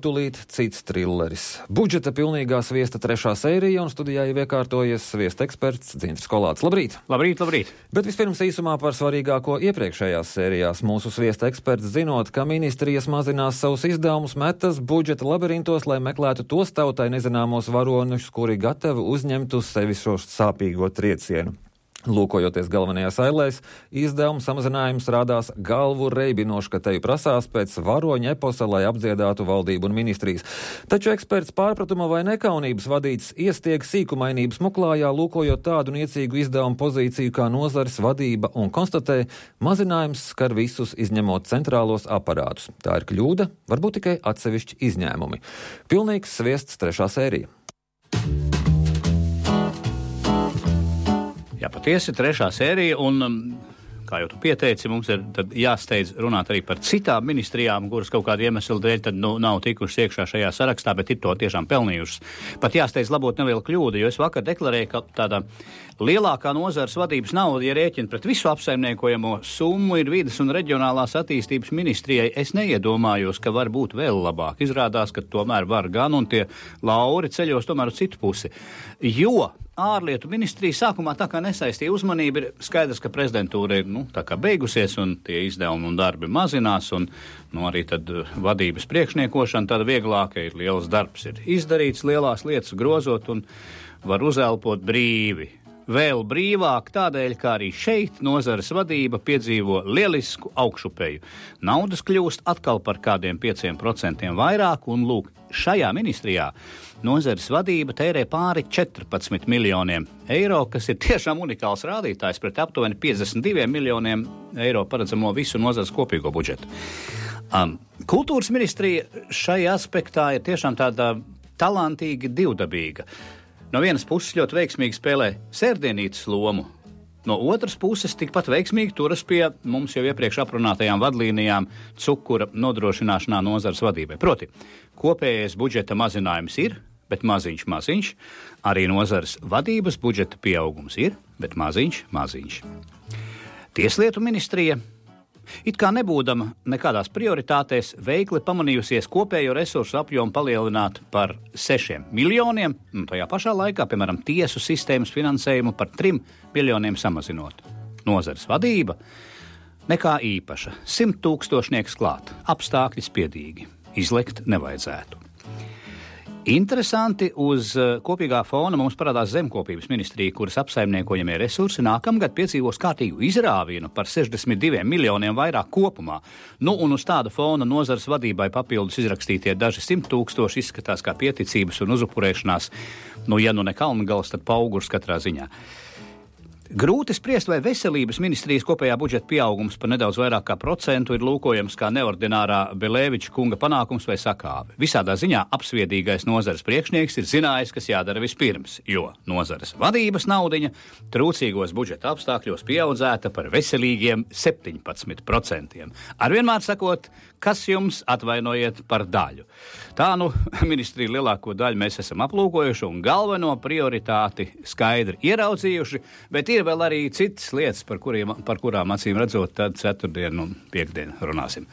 Tūlīt cits trilleris. Budžeta pilnīgā sviesta 3. sērija, un studijā jau iekārtojies sviesta eksperts Dzintris Kolāts. Labrīt! Labrīt! Bet vispirms īsumā par svarīgāko iepriekšējās sērijās. Mūsu sviesta eksperts, zinot, ka ministrijas mazinās savus izdevumus, metas budžeta labirintos, lai meklētu tos tautai nezināmos varoņus, kuri gatavi uzņemt uz sevi šo sāpīgo triecienu. Lūkojoties galvenajās ailēs, izdevuma samazinājums rādās galvu reibinoši, ka teju prasās pēc varoņa eposa, lai apdziedātu valdību un ministrijas. Taču eksperts pārpratuma vai nekaunības vadīts iestieg sīkumainības muklājā, lūkojot tādu niecīgu izdevumu pozīciju kā nozares vadība un konstatē, mazinājums skar visus izņemot centrālos aparātus. Tā ir kļūda, varbūt tikai atsevišķi izņēmumi. Pilnīgs sviests 3. sērija. Jā, patiesi 3. sērija, un, kā jau tu pieteici, mums ir tad jāsteidz runāt arī par citām ministrijām, kuras kaut kādu iemeslu dēļ tad nav tikušas iekšā šajā sarakstā, bet ir to tiešām pelnījušas. Pat jāsteidz labot nelielu kļūdu, jo es vakar deklarēju, ka tāda lielākā nozares vadības nauda, ja rēķina pret visu apsaimniekojamo summu, ir vides un reģionālās attīstības ministrijai. Es neiedomājos, ka var būt vēl labāk. Izrādās, ka tomēr var gan, un tie lauri ceļos tomēr uz citu pusi. Jo ārlietu ministrija sākumā tā kā nesaistīja uzmanību, ir skaidrs, ka prezidentūra ir tā kā beigusies un tie izdevumi un darbi mazinās un arī tad vadības priekšniekošana tāda vieglāka ir, liels darbs ir izdarīts, lielās lietas grozot un var uzelpot brīvi. Vēl brīvāk tādēļ, kā arī šeit nozares vadība piedzīvo lielisku augšupeju. Naudas kļūst atkal par kādiem 5% vairāk, un lūk, šajā ministrijā nozares vadība tērē pāri 14 miljoniem eiro, kas ir tiešām unikāls rādītājs pret aptuveni 52 miljoniem eiro paredzamo visu nozares kopīgo budžetu. Kultūras ministrija šai aspektā ir tiešām tāda talantīgi divdabīga. No vienas puses ļoti veiksmīgi spēlē sērdienītes lomu, no otras puses tikpat veiksmīgi turas pie mums jau iepriekš aprunātajām vadlīnijām cukura nodrošināšanā nozares vadībai. Proti, kopējais budžeta mazinājums ir, bet maziņš. Arī nozares vadības budžeta pieaugums ir, bet maziņš. Tieslietu ministrija, it kā nebūdama nekādās prioritātēs, veikli pamanījusies kopējo resursu apjomu palielināt par 6 miljoniem, un tajā pašā laikā, piemēram, tiesu sistēmas finansējumu par 3 miljoniem samazinot. Nozares vadība nekā īpaša, 100 000 klāt, apstākļi spiedīgi, izlekt nevajadzētu. Interesanti, uz kopīgā fona mums parādās zemkopības ministrija, kuras apsaimniekojamie resursi nākamgad piedzīvos kārtīgu izrāvienu par 62 miljoniem vairāk kopumā. Un uz tāda fona nozares vadībai papildus izrakstītie daži 100 000 izskatās kā pieticības un uzupurēšanās, ja ne Kalngals, tad Paugurs katrā ziņā. Grūti spriest, vai veselības ministrijas kopējā budžeta pieaugums par nedaudz vairāk kā procentu ir lūkojams kā neordinārā Belēviča kunga panākums vai sakāve. Visādā ziņā apsviedīgais nozares priekšnieks ir zinājis, kas jādara vispirms, jo nozares vadības naudiņa trūcīgos budžeta apstākļos pieaudzēta par veselīgiem 17%. Arvienmēr sakot, kas jums atvainojiet par daļu. Tā ministrija lielāko daļu mēs esam aplūkojuši un galveno prioritāti skaidri ieraudzījuši, bet ir vēl arī citas lietas, par kurām acīm redzot, tad ceturtdien un piekdien runāsim.